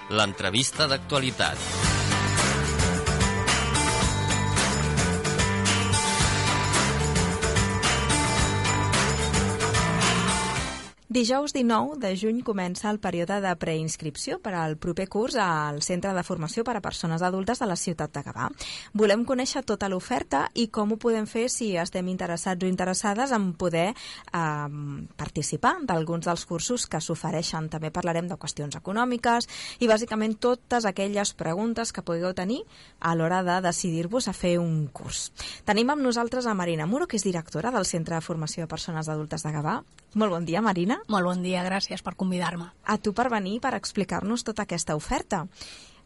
l'entrevista d'actualitat. Dijous 19 de juny comença el període de preinscripció per al proper curs al Centre de Formació per a Persones Adultes de la ciutat de Gavà. Volem conèixer tota l'oferta i com ho podem fer si estem interessats o interessades en poder participar d'alguns dels cursos que s'ofereixen. També parlarem de qüestions econòmiques i bàsicament totes aquelles preguntes que pugueu tenir a l'hora de decidir-vos a fer un curs. Tenim amb nosaltres a Marina Muro, que és directora del Centre de Formació de Persones Adultes de Gavà. Molt bon dia, Marina. Molt bon dia, gràcies per convidar-me. A tu per venir, per explicar-nos tota aquesta oferta.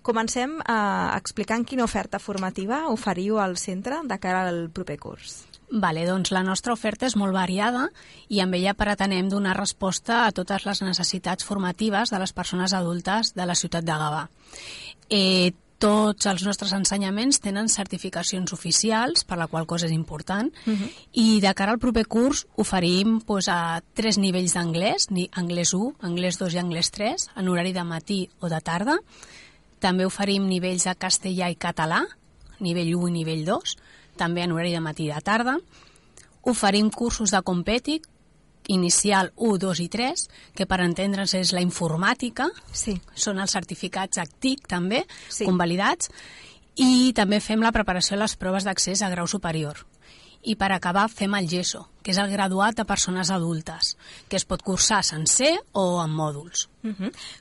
Comencem explicant quina oferta formativa oferiu al centre de cara al proper curs. Vale, doncs la nostra oferta és molt variada i amb ella pretenem donar resposta a totes les necessitats formatives de les persones adultes de la ciutat de Gavà. Tots els nostres ensenyaments tenen certificacions oficials, per la qual cosa és important, i de cara al proper curs oferim a 3 nivells d'anglès, anglès 1, anglès 2 i anglès 3, en horari de matí o de tarda. També oferim nivells de castellà i català, nivell 1 i nivell 2, també en horari de matí i de tarda. Oferim cursos de Competic, inicial 1, 2 i 3, que per entendre's és la informàtica, sí. Són els certificats ACTIC també, sí. Convalidats, i també fem la preparació de les proves d'accés a grau superior. I per acabar fem el GESO, que és el graduat de persones adultes, que es pot cursar sencer o en mòduls.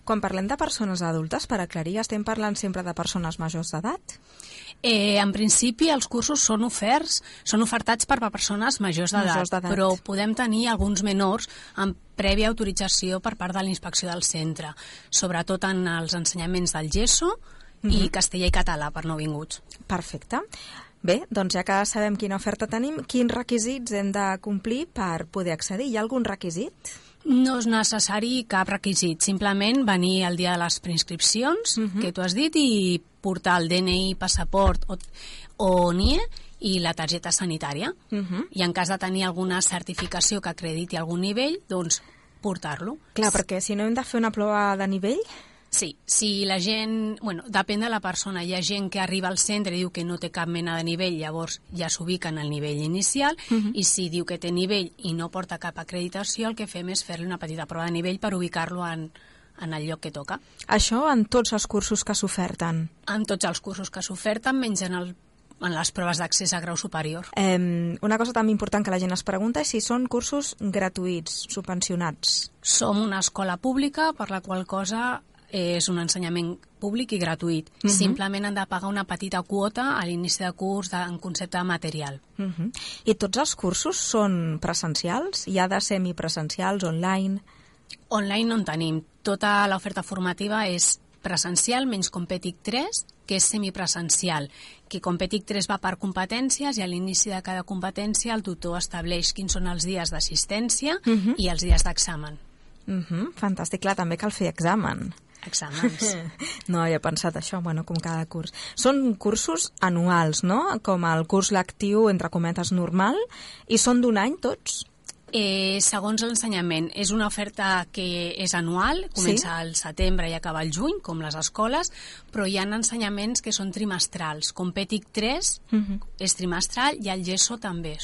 Quan parlem de persones adultes, per aclarir, estem parlant sempre de persones majors d'edat? En principi els cursos són ofertats per persones majors d'edat, però podem tenir alguns menors amb prèvia autorització per part de la inspecció del centre, sobretot en els ensenyaments del GESO i castellà i català per nouvinguts. Perfecte. Bé, doncs ja que sabem quina oferta tenim, quins requisits hem de complir per poder accedir? Hi ha algun requisit? No és necessari cap requisit, simplement venir el dia de les preinscripcions, que tu has dit, i portar el DNI, passaport o NIE i la targeta sanitària. I en cas de tenir alguna certificació que acrediti algun nivell, doncs portar-lo. Clar, perquè si no hem de fer una prova de nivell... Sí, si la gent... Bueno, depèn de la persona. Hi ha gent que arriba al centre i diu que no té cap mena de nivell, llavors ja s'ubica en el nivell inicial, i si diu que té nivell i no porta cap acreditació, el que fem és fer-li una petita prova de nivell per ubicar-lo en el lloc que toca. Això en tots els cursos que s'oferten? En tots els cursos que s'oferten, menys en les proves d'accés a grau superior. Una cosa també important que la gent es pregunta és si són cursos gratuïts, subvencionats. Som una escola pública, per la qual cosa és un ensenyament públic i gratuït. Simplement han de pagar una petita quota a l'inici de curs en concepte de material. I tots els cursos són presencials? Hi ha de semipresencials, online? Online no en tenim. Tota l'oferta formativa és presencial, menys Competic 3, que és semipresencial, que Competic 3 va per competències i a l'inici de cada competència el tutor estableix quins són els dies d'assistència i els dies d'examen. Fantàstic, clar, també cal fer examen. Exàmens. No havia pensat això, bueno, com cada curs. Són cursos anuals, no? Com el curs lectiu, entre cometes, normal, i són d'un any tots? Segons l'ensenyament. És una oferta que és anual, comença al setembre i acaba al juny, com les escoles, però hi ha ensenyaments que són trimestrals. Competic 3 és trimestral i el GESO també.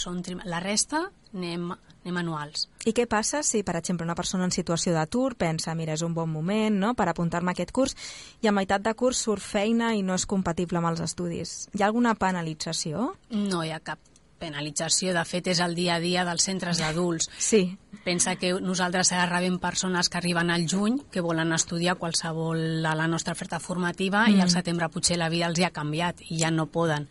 La resta anem anuals. I què passa si, per exemple, una persona en situació d'atur pensa, mira, és un bon moment, no?, per apuntar-me a aquest curs, i a meitat de curs surt feina i no és compatible amb els estudis? Hi ha alguna penalització? No hi ha cap penalització. De fet, és el dia a dia dels centres d'adults. Sí. Pensa que nosaltres rebem persones que arriben al juny, que volen estudiar qualsevol a la nostra oferta formativa, i al setembre potser la vida els hi ha canviat i ja no poden.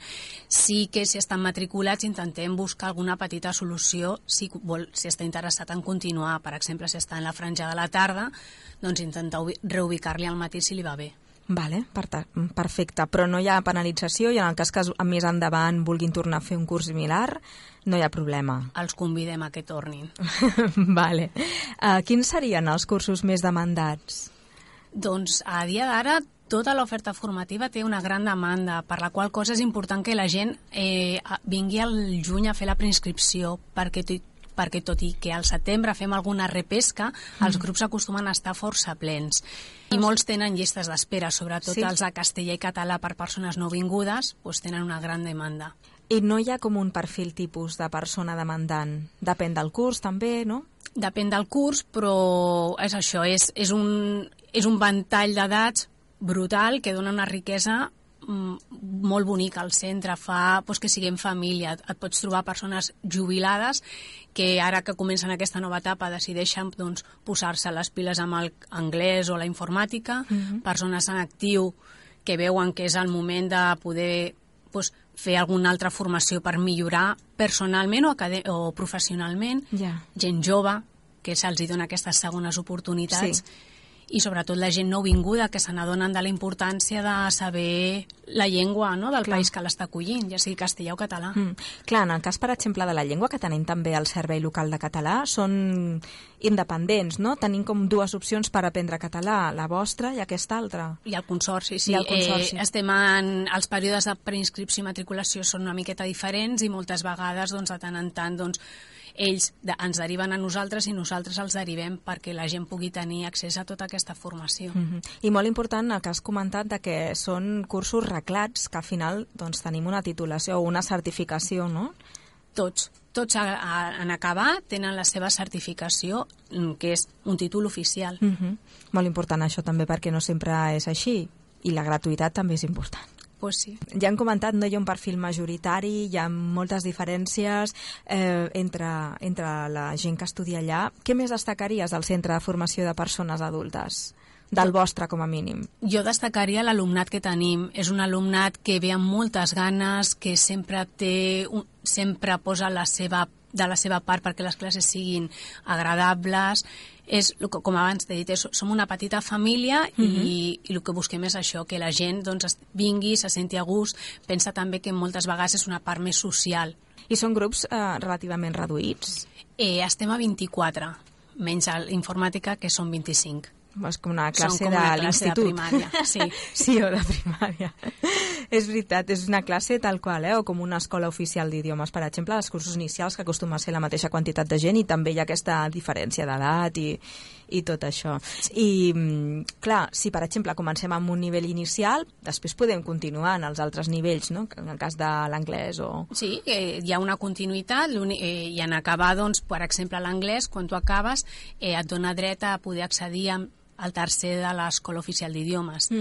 Sí que si estan matriculats intentem buscar alguna petita solució si està interessat en continuar. Per exemple, si està en la franja de la tarda, doncs intentar reubicar-li al matí si li va bé. Vale, perfecte, però no hi ha penalització i en el cas que més endavant vulguin tornar a fer un curs similar, no hi ha problema. Els convidem a que tornin. Vale. Quins serien els cursos més demandats? Doncs a dia d'ara tota l'oferta formativa té una gran demanda, per la qual cosa és important que la gent vingui al juny a fer la preinscripció, perquè perquè tot i que al setembre fem alguna repesca, els grups acostumen a estar força plens. I molts tenen llistes d'espera, sobretot els de castellà i català per persones nouvingudes, doncs tenen una gran demanda. I no hi ha com un perfil tipus de persona demandant? Depèn del curs també, no? Depèn del curs, però és això, és un ventall d'edats brutal que dona una riquesa molt bonica al centre, fa que siguem família. Et pots trobar persones jubilades que ara que comencen aquesta nova etapa decideixen posar-se les piles amb l'anglès o la informàtica, persones en actiu que veuen que és el moment de poder fer alguna altra formació per millorar personalment o professionalment, gent jove que se'ls dona aquestes segones oportunitats, i sobretot la gent nouvinguda que se n'adonen de la importància de saber la llengua del país que l'està acollint, ja sigui castellà o català. Clar, en el cas, per exemple, de la llengua, que tenim també el Servei Local de Català, són independents, no? Tenim com dues opcions per aprendre català, la vostra i aquesta altra. I el Consorci, sí. Els períodes de preinscripció i matriculació són una miqueta diferents i moltes vegades, de tant en tant, ells ens deriven a nosaltres i nosaltres els derivem perquè la gent pugui tenir accés a tota aquesta formació. I molt important el que has comentat de que són cursos reglats, que al final tenim una titulació o una certificació, no? Tots en acabar tenen la seva certificació, que és un títol oficial. Molt important això també, perquè no sempre és així, i la gratuïtat també és important. Pues sí. Ja han comentat, no hi ha un perfil majoritari, hi ha moltes diferències entre la gent que estudia allà. Què més destacaries del Centre de Formació de Persones Adultes? Del vostre, com a mínim. Jo destacaria l'alumnat que tenim. És un alumnat que ve amb moltes ganes, que sempre posa de la seva part perquè les classes siguin agradables. Com abans t'he dit, som una petita família i el que busquem és això, que la gent vingui, se senti a gust. Pensa també que moltes vegades és una part més social. I són grups relativament reduïts? Estem a 24, menys a l'informàtica, que són 25. És com una classe de l'institut. De primària, sí. Sí, o de primària. És veritat, és una classe tal qual, o com una escola oficial d'idiomes, per exemple, els cursos inicials, que acostuma a ser la mateixa quantitat de gent, i també hi ha aquesta diferència d'edat i tot això. I, clar, si per exemple comencem amb un nivell inicial, després podem continuar en els altres nivells, no? En el cas de l'anglès o... Sí, hi ha una continuïtat, i en acabar, per exemple, l'anglès, quan tu acabes, et dona dret a poder accedir al tercer de l'Escola Oficial d'Idiomes.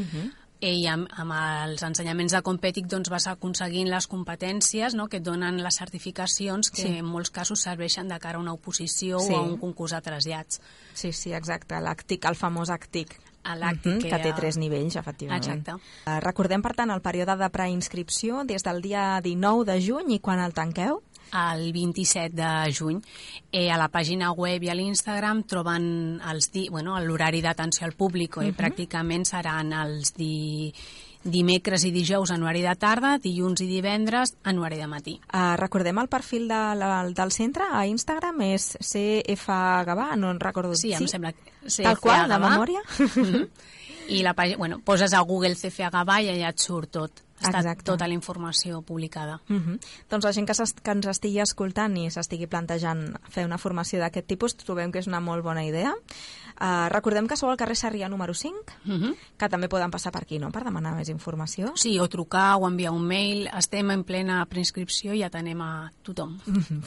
I amb els ensenyaments de Competic vas aconseguint les competències que et donen les certificacions que en molts casos serveixen de cara a una oposició o a un concurs de trasllats. Sí, exacte, l'ACTIC, el famós ACTIC. Que té 3 nivells, efectivament. Exacte. Recordem, per tant, el període de preinscripció des del dia 19 de juny i quan el tanqueu? El 27 de juny. A la pàgina web i a l'Instagram troben l'horari d'atenció al públic. Pràcticament seran els dimecres i dijous en horari de tarda, dilluns i divendres en horari de matí. Recordem el perfil del centre a Instagram, és CFGavà, no en recordo. Sí, em sembla. Tal qual, de memòria? I la pàgina, poses a Google CFGavà i allà et surt tot. Està tota la informació publicada. Doncs la gent que ens estigui escoltant i s'estigui plantejant fer una formació d'aquest tipus, trobem que és una molt bona idea. Recordem que sou al carrer Sarrià número 5, que també poden passar per aquí, no?, per demanar més informació. Sí, o trucar o enviar un mail. Estem en plena preinscripció i atenem a tothom.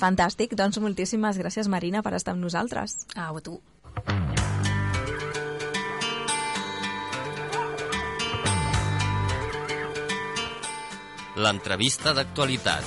Fantàstic, doncs moltíssimes gràcies, Marina, per estar amb nosaltres. A tu. L'entrevista d'actualitat.